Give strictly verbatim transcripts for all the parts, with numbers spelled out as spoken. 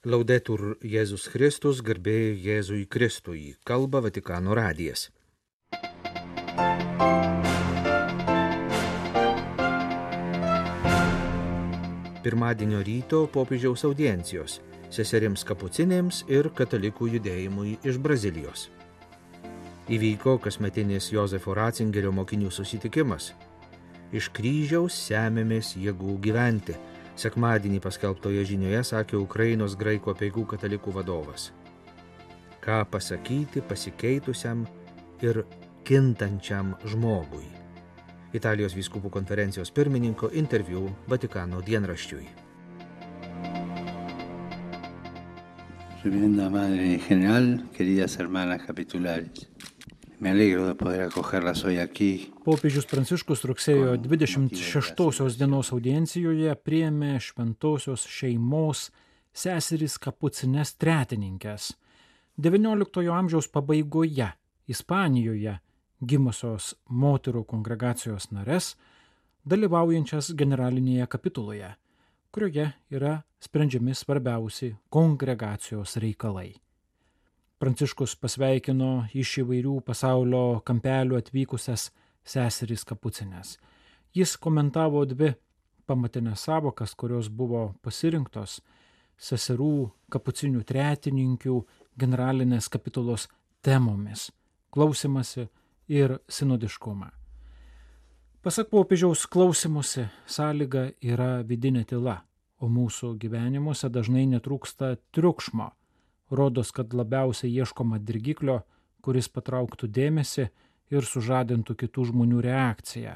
Laudetur Jėzus Kristus, garbė Jėzui Kristui, kalba Vatikano radijas. Pirmadienio ryto popiežiaus audiencijos seserims kapucinėms ir katalikų judėjimui iš Brazilijos. Įvyko kasmetinis Jozefo Ratzingerio mokinių susitikimas. Iš kryžiaus semėmės jėgų gyventi. Sekmadienį paskelbtoje žinioje sakė Ukrainos graikų apeigų katalikų vadovas. Ką pasakyti pasikeitusiam ir kintančiam žmogui. Italijos vyskupų konferencijos pirmininko interviu Vatikano dienraščiui. Reverenda Madre General, queridas hermanas capitulares. Me alegro de poder acogerlas hoy aquí. Popiežius Pranciškus rugsėjo dvidešimt šeštosios dienos audiencijoje priėmė šventosios šeimos seseris kapucines tretininkes. devynioliktojo amžiaus pabaigoje Ispanijoje gimusios moterų kongregacijos nares, dalyvaujančias generalinėje kapituloje, kurioje yra sprendžiami svarbiausi kongregacijos reikalai. Pranciškus pasveikino iš įvairių pasaulio kampelių atvykusias seseris kapucines. Jis komentavo dvi pamatinės savokas, kurios buvo pasirinktos seserų kapucinių tretininkių generalinės kapitulos temomis – klausimasi ir sinodiškumą. Pasak popiežiaus, klausimusi sąlyga yra vidinė tyla, o mūsų gyvenimuose dažnai netrūksta triukšmo. Rodos, kad labiausiai ieškoma dirgiklio, kuris patrauktų dėmesį ir sužadintų kitų žmonių reakciją.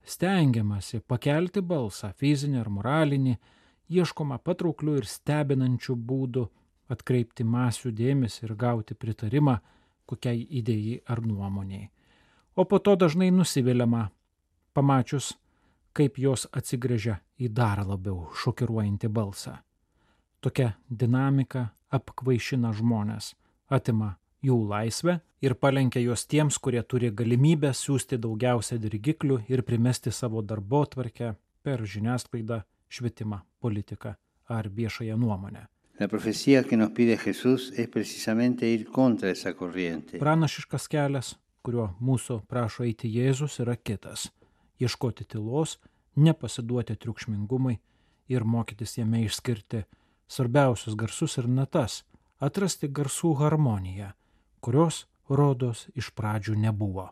Stengiamasi pakelti balsą, fizinį ar moralinį, ieškoma patrauklių ir stebinančių būdų atkreipti masių dėmesį ir gauti pritarimą kokiai idėjai ar nuomoniai. O po to dažnai nusiviliama, pamačius, kaip jos atsigręžia į dar labiau šokiruojantį balsą. Tokia dinamika apkvaišina žmonės, atima jų laisvę ir palenkia juos tiems, kurie turi galimybę siųsti daugiausia dirgiklių ir primesti savo darbotvarkę per žiniasklaidą, švietimą, politiką ar viešąją nuomonę. La profecía que nos pide Jesús es precisamente ir contra esa corriente. Pranašiškas kelias, kuriuo mūsų prašo eiti Jėzus, yra kitas – ieškoti tylos, nepasiduoti triukšmingumui ir mokytis jame išskirti svarbiausius garsus ir natas, atrasti garsų harmoniją, kurios, rodos, iš pradžių nebuvo.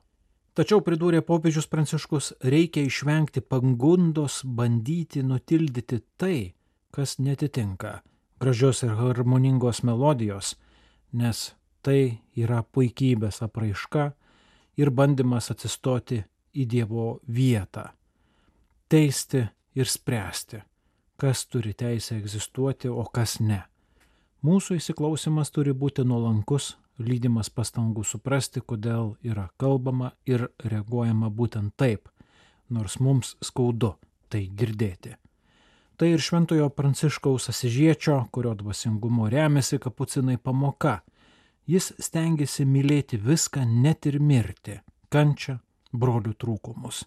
Tačiau, pridūrė popiežius Pranciškus, reikia išvengti pagundos bandyti nutildyti tai, kas netitinka gražios ir harmoningos melodijos, nes tai yra puikybės apraiška ir bandymas atsistoti į Dievo vietą, teisti ir spręsti, kas turi teisę egzistuoti, o kas ne. Mūsų įsiklausimas turi būti nuolankus, lydimas pastangų suprasti, kodėl yra kalbama ir reaguojama būtent taip, nors mums skaudu tai girdėti. Tai ir šventojo Pranciškaus Asižiečio, kurio dvasingumo remiasi kapucinai pamoka. Jis stengiasi mylėti viską, net ir mirtį, kančią, brolių trūkumus.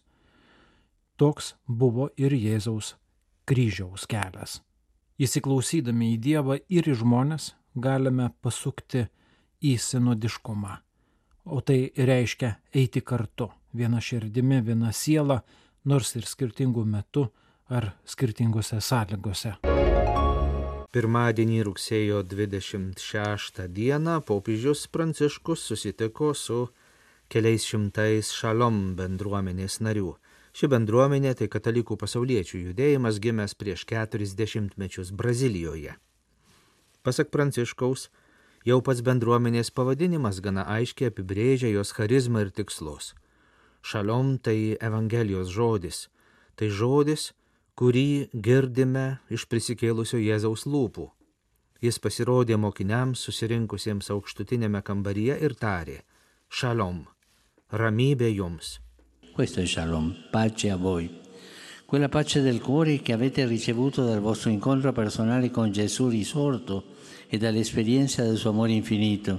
Toks buvo ir Jėzaus kryžiaus kelias. Įsiklausydami į Dievą ir į žmones galime pasukti į sinodiškumą, o tai reiškia eiti kartu, viena širdimi, viena siela, nors ir skirtingų metų ar skirtingose sąlygose. Pirmadienį rugsėjo dvidešimt šeštą dieną popiežius Pranciškus susitiko su keliais šimtais Šalom bendruomenės narių. Ši bendruomenė tai katalikų pasauliečių judėjimas gimęs prieš keturis dešimtmečius Brazilijoje. Pasak Pranciškaus, jau pats bendruomenės pavadinimas gana aiškiai apibrėžia jos charizmą ir tikslus. Šalom tai Evangelijos žodis, tai žodis, kurį girdime iš prisikėlusio Jėzaus lūpų. Jis pasirodė mokiniams susirinkusiems aukštutinėme kambaryje ir tarė: Šalom, ramybė jums. Questo è Shalom, pace a voi. Quella pace del cuore che avete ricevuto dal vostro incontro personale con Gesù risorto e dall'esperienza del suo amore infinito.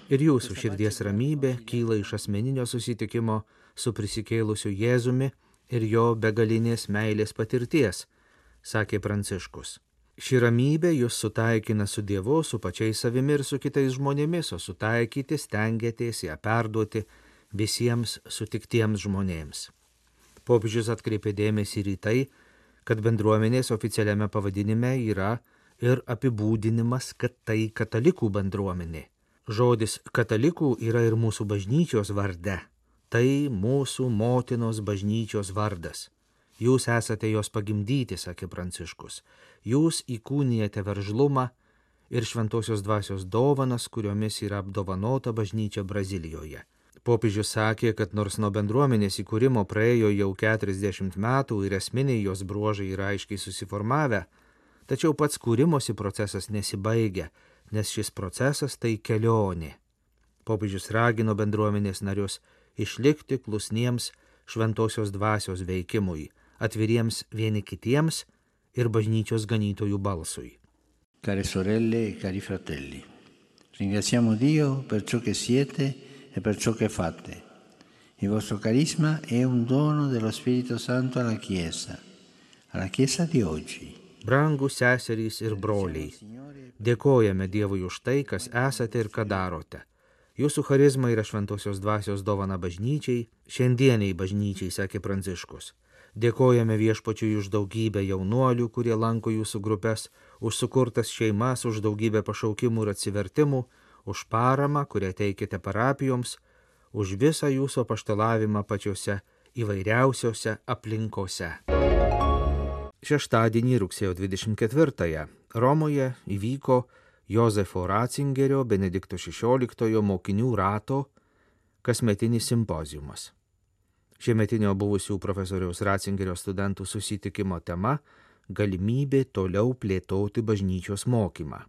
Ir jūsų širdies ramybė kyla iš asmeninio susitikimo su prisikėlusiu Jėzumi ir jo begalinės meilės patirties, sakė Pranciškus. Ši ramybė jūs sutaikina su Dievu, su pačiais savimi ir su kitais žmonėmis, o sutaikyti stengiatės ją perduoti visiems sutiktiems žmonėms. Popiežius atkreipė dėmesį ir į tai, kad bendruomenės oficialiame pavadinime yra ir apibūdinimas, kad tai katalikų bendruomenė. Žodis katalikų yra ir mūsų bažnyčios varde. Tai mūsų motinos bažnyčios vardas. Jūs esate jos pagimdyti, sakė Pranciškus. Jūs įkūnijate veržlumą ir šventosios dvasios dovanas, kuriomis yra apdovanota bažnyčia Brazilijoje. Popiežius sakė, kad nors nuo bendruomenės įkūrimo praėjo jau keturiasdešimt metų ir esminiai jos bruožai yra aiškiai susiformavę, tačiau pats kūrimosi procesas nesibaigia, nes šis procesas tai kelionė. Popiežius ragino bendruomenės narius išlikti klusniems šventosios dvasios veikimui, atviriems vieni kitiems ir bažnyčios ganytojų balsui. Care sorelle e cari fratelli, ringraziamo Dio per ciò che siete e per ciò che fate. Il vostro carisma è un dono dello Spirito Santo alla Chiesa, alla Chiesa di oggi. Brangūs seserys ir broliai, dėkojame Dievui už tai, kas esate ir ką darote. Jūsų charizma yra šventosios dvasios dovana bažnyčiai, šiandieniai bažnyčiai, sakė Pranciškus. Dėkojame Viešpačiui už daugybę jaunuolių, kurie lanko jūsų grupės, už sukurtas šeimas, už daugybę pašaukimų ir atsivertimų, už paramą, kurią teikite parapijoms, už visą jūsų apaštalavimą pačiose įvairiausiose aplinkose. Šeštadienį rugsėjo dvidešimt ketvirtąją Romoje įvyko Jozefo Ratzingerio Benedikto šešioliktojo mokinių rato kasmetinis simpoziumas. Šiemetinio buvusių profesoriaus Ratzingerio studentų susitikimo tema – galimybė toliau plėtoti bažnyčios mokymą.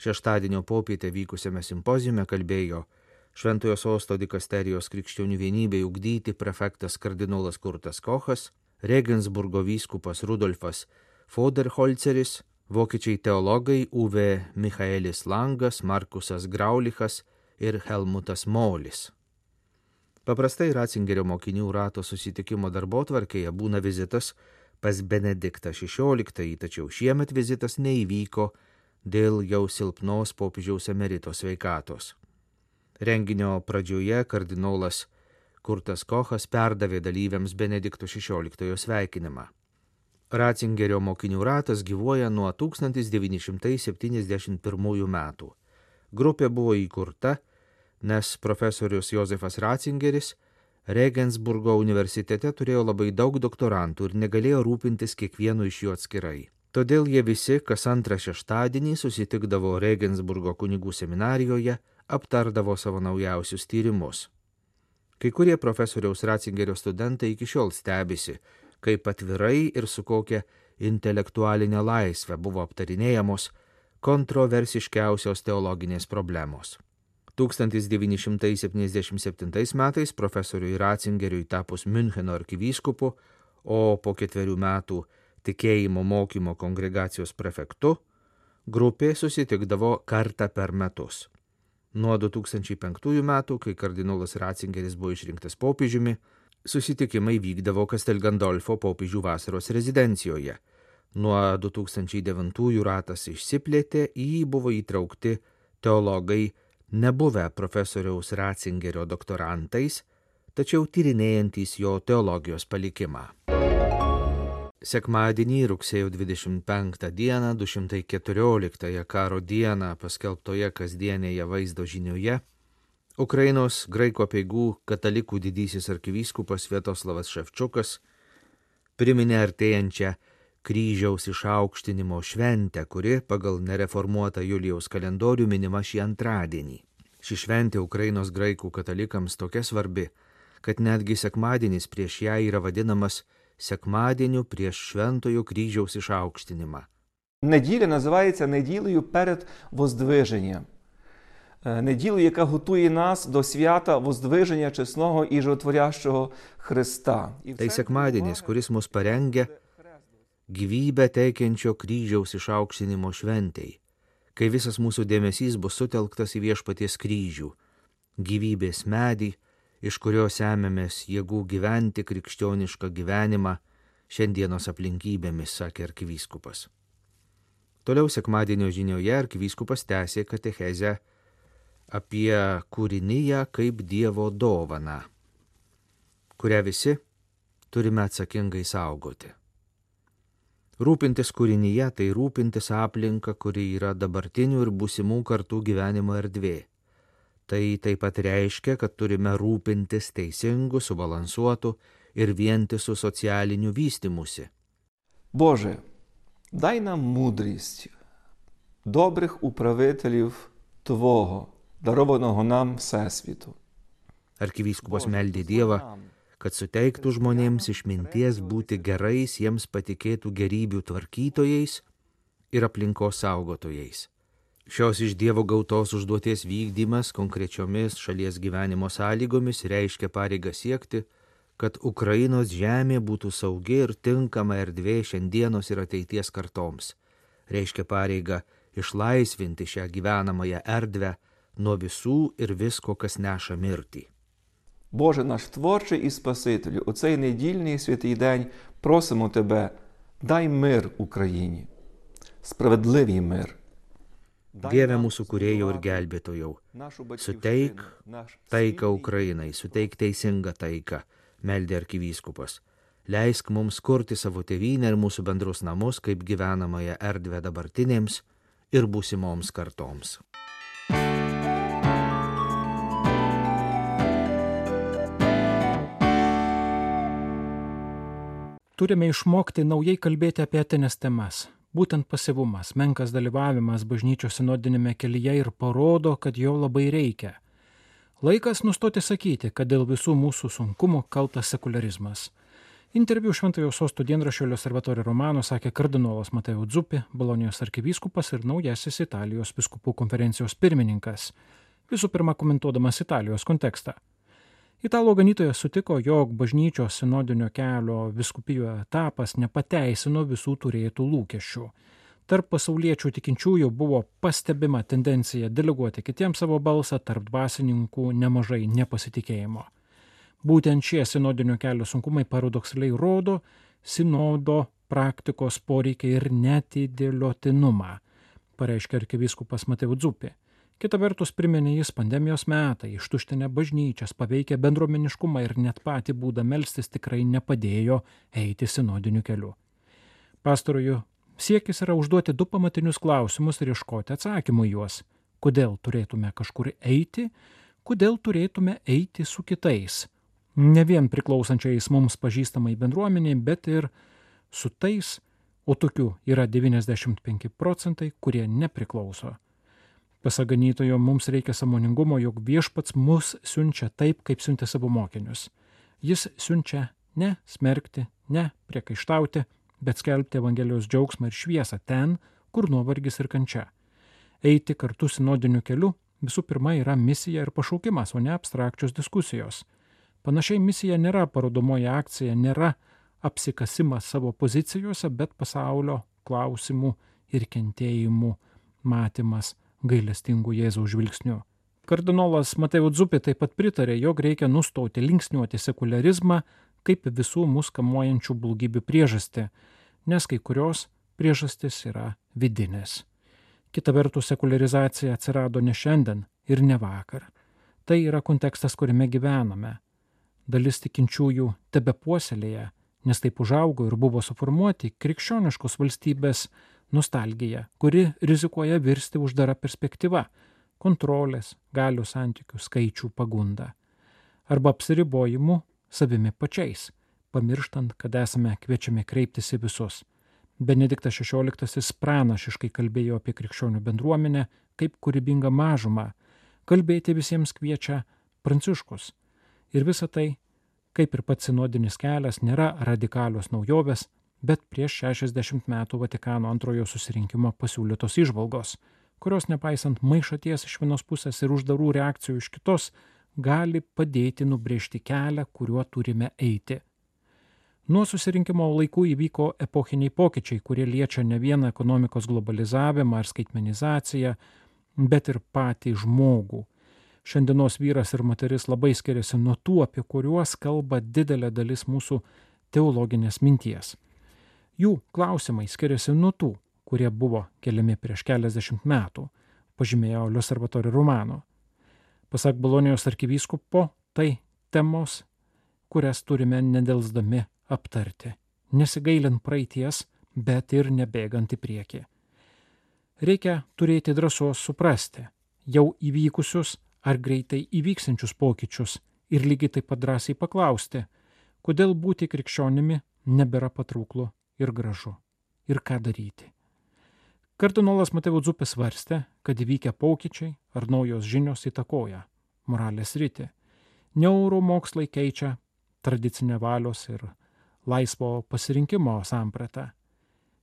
Šeštadienio popietę vykusiame simpoziume kalbėjo Šventojo Sosto dikasterijos krikščionių vienybei ugdyti prefektas kardinolas Kurtas Kochas, Regensburgo vyskupas Rudolfas Foderholceris, vokiečiai teologai Uwe Michaelis Langas, Markusas Graulichas ir Helmutas Molis. Paprastai Ratzingerio mokinių rato susitikimo darbotvarkėje būna vizitas pas Benediktą šešioliktąjį, tačiau šiemet vizitas neįvyko dėl jau silpnos popiežiaus emerito sveikatos. Renginio pradžioje kardinolas Kurtas Kochas perdavė dalyviams Benedikto šešioliktojo sveikinimą. Ratzingerio mokinių ratas gyvuoja nuo tūkstantis devyni šimtai septyniasdešimt pirmųjų metų. Grupė buvo įkurta, nes profesorius Jozefas Ratzingeris Regensburgo universitete turėjo labai daug doktorantų ir negalėjo rūpintis kiekvienu iš jų atskirai. Todėl jie visi kas antrą šeštadienį susitikdavo Regensburgo kunigų seminarijoje, aptardavo savo naujausius tyrimus. Kai kurie profesoriaus Ratzingerio studentai iki šiol stebisi, kaip atvirai ir su kokia intelektualinė laisvė buvo aptarinėjamos kontroversiškiausios teologinės problemos. tūkstantis devyni šimtai septyniasdešimt septintais metais profesoriui Ratzingeriui tapus Miuncheno arkivyskupu, o po ketverių metų tikėjimo mokymo kongregacijos prefektu, grupė susitikdavo kartą per metus. Nuo du tūkstančiai penktųjų metų, kai kardinolas Ratzingeris buvo išrinktas popiežiumi, susitikimai vykdavo Castel Gandolfo popiežių vasaros rezidencijoje. Nuo du tūkstančiai devintųjų ratas išsiplėtė, į jį buvo įtraukti teologai nebuvę profesoriaus Ratzingerio doktorantais, tačiau tyrinėjantys jo teologijos palikimą. Sekmadienį rugsėjo dvidešimt penktą dieną, du šimtai keturioliktąją karo dieną paskelbtoje kasdienėje vaizdo žinioje, Ukrainos graikų apeigų katalikų didysis arkivyskupas Sviatoslavas Ševčiukas priminė artėjančią kryžiaus išaukštinimo šventę, kuri pagal nereformuotą Julijaus kalendorių minima šį antradienį. Ši šventė Ukrainos graikų katalikams tokia svarbi, kad netgi sekmadienis prieš ją yra vadinamas секмаденю prieš Швентою Кріжовсь išaukštinimą. Неділя називається неділею перед Воздвиженням. Неділею, яка готує нас до свята Воздвиження чесного і животворящого Христа. Tai sekmadienis, kuris mus parengia gyvybę teikiančio kryžiaus išaukštinimo šventei, kai visas mūsų dėmesys bus sutelktas į Viešpaties kryžių, gyvybės medį, iš kurio semiamės jėgų gyventi krikščionišką gyvenimą šiandienos aplinkybėmis, sakė arkivyskupas. Toliau sekmadienio žinioje arkivyskupas tęsė katechezę apie kūriniją kaip Dievo dovaną, kurią visi turime atsakingai saugoti. Rūpintis kūrinyje tai rūpintis aplinka, kuri yra dabartinių ir būsimų kartų gyvenimo erdvė. Tai taip pat reiškia, kad turime rūpintis teisingu, subalansuotu ir vientisu socialiniu vystymusi. Боже, дай нам мудрість, добрих управителів Твого, дарованого нам Всесвіту. Arkivyskupas meldė Dievą, kad suteiktų žmonėms išminties būti gerais jiems patikėtų gerybių tvarkytojais ir aplinkos saugotojais. Šios iš Dievo gautos užduoties vykdymas konkrečiomis šalies gyvenimo sąlygomis reiškia pareigą siekti, kad Ukrainos žemė būtų saugi ir tinkama erdvė šiandienos ir ateities kartoms. Reiškia pareigą išlaisvinti šią gyvenamąją erdvę nuo visų ir visko, kas neša mirtį. Боже наш Творчий і Спасителю, у цей недільний святий день просимо Тебе, дай мир Україні, справедливий мир. Dieve mūsų kūrėjau ir gelbėtojau, suteik taiką Ukrainai, suteik teisingą taiką, meldė arkivyskupas. Leisk mums kurti savo tėvynę ir mūsų bendrus namus kaip gyvenamąją erdvę dabartinėms ir būsimoms kartoms. Turime išmokti naujai kalbėti apie etines temas. Būtent pasyvumas, menkas dalyvavimas bažnyčios sinodinėme kelyje ir parodo, kad jo labai reikia. Laikas nustoti sakyti, kad dėl visų mūsų sunkumų kaltas sekularizmas. Interviu Šventojo Sosto dienraščio L'Osservatore Romano sakė kardinolas Mateo Zuppi, Bolonijos arkivyskupas ir naujasis Italijos vyskupų konferencijos pirmininkas, visų pirma komentuodamas Italijos kontekstą. Italų ganytojas sutiko, jog bažnyčios sinodinio kelio vyskupijų etapas nepateisino visų turėtų lūkesčių. Tarp pasauliečių tikinčiųjų buvo pastebima tendencija deleguoti kitiems savo balsą, tarp dvasininkų nemažai nepasitikėjimo. Būtent šie sinodinio kelio sunkumai paradoksaliai rodo sinodo praktikos poreikį ir netidėliotinumą, pareiškė arkivyskupas Mateo Zuppi. Kita vertus priminė jis pandemijos metai, ištuštinę bažnyčias, paveikę bendruomeniškumą ir net patį būdą melstis tikrai nepadėjo eiti sinodiniu keliu. Pastarojo siekis yra užduoti du pamatinius klausimus ir ieškoti atsakymų juos. Kodėl turėtume kažkur eiti, kodėl turėtume eiti su kitais. Ne vien priklausančiais mums pažįstamai bendruomeniai, bet ir su tais, o tokių yra devyniasdešimt penki procentai, kurie nepriklauso. Pasak ganytojo, mums reikia sąmoningumo, jog viešpats mus siunčia taip, kaip siuntė savo mokinius. Jis siunčia ne smerkti, ne priekaištauti, bet skelbti Evangelijos džiaugsmą ir šviesą ten, kur nuovargis ir kančia. Eiti kartu sinodiniu keliu visų pirma yra misija ir pašaukimas, o ne abstrakčios diskusijos. Panašiai misija nėra parodomoji akcija, nėra apsikasimas savo pozicijose, bet pasaulio klausimų ir kentėjimų matymas gailestingų Jėzaus žvilgsnių. Kardinolas Mateo Zuppi taip pat pritarė, jog reikia nustoti linksniuoti sekularizmą kaip visų mus kamuojančių blogybių priežastį, nes kai kurios priežastys yra vidinės. Kita vertus, sekularizacija atsirado ne šiandien ir ne vakar. Tai yra kontekstas, kuriame gyvename. Dalis tikinčiųjų tebepuoselėja, nes taip užaugo ir buvo suformuoti krikščioniškos valstybės nostalgija, kuri rizikuoja virsti uždara perspektyva, kontrolės, galių santykių, skaičių pagunda. Arba apsiribojimu savimi pačiais, pamirštant, kad esame kviečiami kreiptis į visus. Benediktas šešioliktasis pranašiškai kalbėjo apie krikščionių bendruomenę kaip kūrybingą mažumą. Kalbėti visiems kviečia Pranciškus. Ir visa tai, kaip ir pats sinodinis kelias, nėra radikalios naujovės, bet prieš šešiasdešimt metų Vatikano antrojo susirinkimo pasiūlytos įžvalgos, kurios nepaisant maišaties iš vienos pusės ir uždarų reakcijų iš kitos, gali padėti nubrėžti kelią, kuriuo turime eiti. Nuo susirinkimo laikų įvyko epochiniai pokyčiai, kurie liečia ne vieną ekonomikos globalizavimą ar skaitmenizaciją, bet ir patį žmogų. Šiandienos vyras ir moteris labai skiriasi nuo tų, apie kuriuos kalba didelė dalis mūsų teologinės minties. Jų klausimai skiriasi nuo tų, kurie buvo keliami prieš keliasdešimt metų, pažymėjo L'Osservatore Romano. Pasak Bolonijos arkivyskupo, tai temos, kurias turime nedelsdami aptarti, nesigailint praeities, bet ir nebėgant į priekį. Reikia turėti drąsos suprasti jau įvykusius ar greitai įvyksinčius pokyčius ir lygiai taip pat drąsiai paklausti, kodėl būti krikščionimi nebėra patrauklu ir gražu ir ką daryti. Kardinolas Mateo Zuppi svarstė, kad įvykę pokyčiai ar naujos žinios įtakoja moralės sritį. Neuromokslai keičia tradicinę valios ir laisvo pasirinkimo sampratą.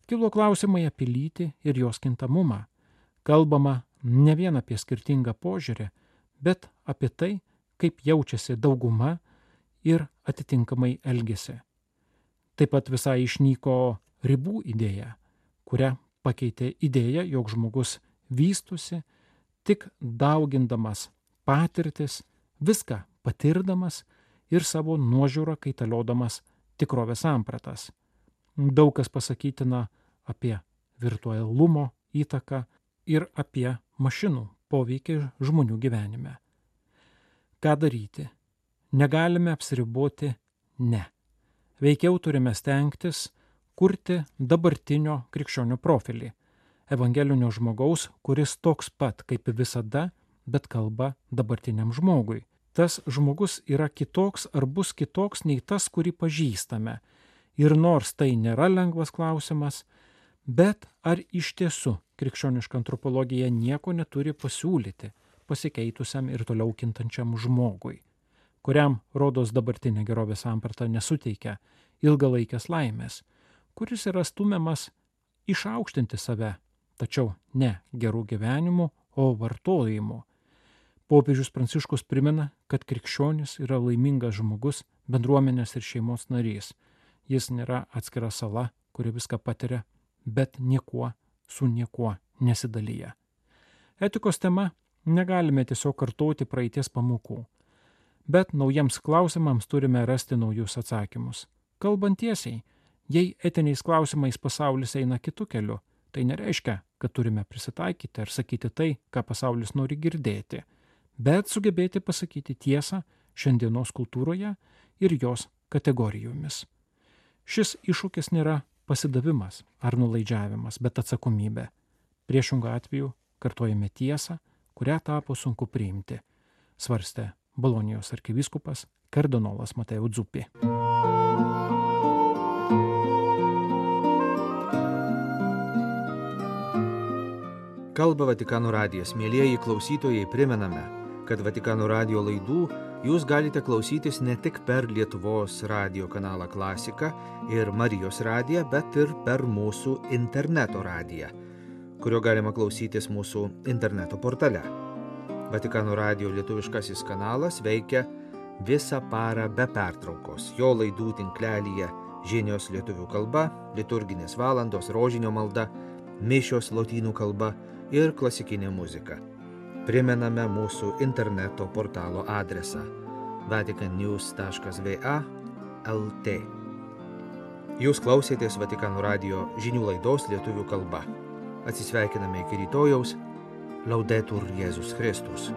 Kilo klausimai apie lytį ir jos kintamumą. Kalbama ne vien apie skirtingą požiūrį, bet apie tai, kaip jaučiasi dauguma ir atitinkamai elgiasi. Taip pat visai išnyko ribų idėja, kurią pakeitė idėja, jog žmogus vystusi tik daugindamas patirtis, viską patirdamas ir savo nuožiūrą kaitaliodamas tikrovės sampratas. Daug kas pasakytina apie virtualumo įtaką ir apie mašinų poveikį žmonių gyvenime. Ką daryti? Negalime apsiriboti ne. Veikiau turime stengtis kurti dabartinio krikščionio profilį, evangelinio žmogaus, kuris toks pat kaip visada, bet kalba dabartiniam žmogui. Tas žmogus yra kitoks ar bus kitoks nei tas, kurį pažįstame. Ir nors tai nėra lengvas klausimas, bet ar iš tiesų krikščioniška antropologija nieko neturi pasiūlyti pasikeitusiam ir toliau kintančiam žmogui, kuriam rodos dabartinė gerovės samprata nesuteikia ilgalaikės laimės, kuris yra stumiamas išaukštinti save, tačiau ne gerų gyvenimų, o vartojimų. Popiežius Pranciškus primena, kad krikščionis yra laimingas žmogus, bendruomenės ir šeimos narys. Jis nėra atskira sala, kuri viską patiria, bet niekuo su niekuo nesidalyja. Etikos tema negalime tiesiog kartoti praeities pamokų, bet naujiems klausimams turime rasti naujus atsakymus. Kalbant tiesiai, jei etiniais klausimais pasaulis eina kitu keliu, tai nereiškia, kad turime prisitaikyti ar sakyti tai, ką pasaulis nori girdėti, bet sugebėti pasakyti tiesą šiandienos kultūroje ir jos kategorijomis. Šis iššūkis nėra pasidavimas ar nulaidžiavimas, bet atsakomybė. Priešingų atveju kartojame tiesą, kurią tapo sunku priimti, svarstė Bolonijos arkivyskupas kardinolas Mateo Zuppi. Kalba Vatikano radijas. Mielieji klausytojai, primename, kad Vatikano radijo laidų jūs galite klausytis ne tik per Lietuvos radijo kanalą Klasika ir Marijos radiją, bet ir per mūsų interneto radiją, kurio galima klausytis mūsų interneto portale. Vatikano radijo lietuviškasis kanalas veikia visą parą be pertraukos. Jo laidų tinklelyje žinios lietuvių kalba, liturginės valandos, rožinio malda, mišios lotynų kalba ir klasikinė muzika. Primename mūsų interneto portalo adresą vatican news taškas v a taškas l t. Jūs klausėtės Vatikano radijo žinių laidos lietuvių kalba. Atsisveikiname iki rytojaus. Laudetur Jėzus Kristus.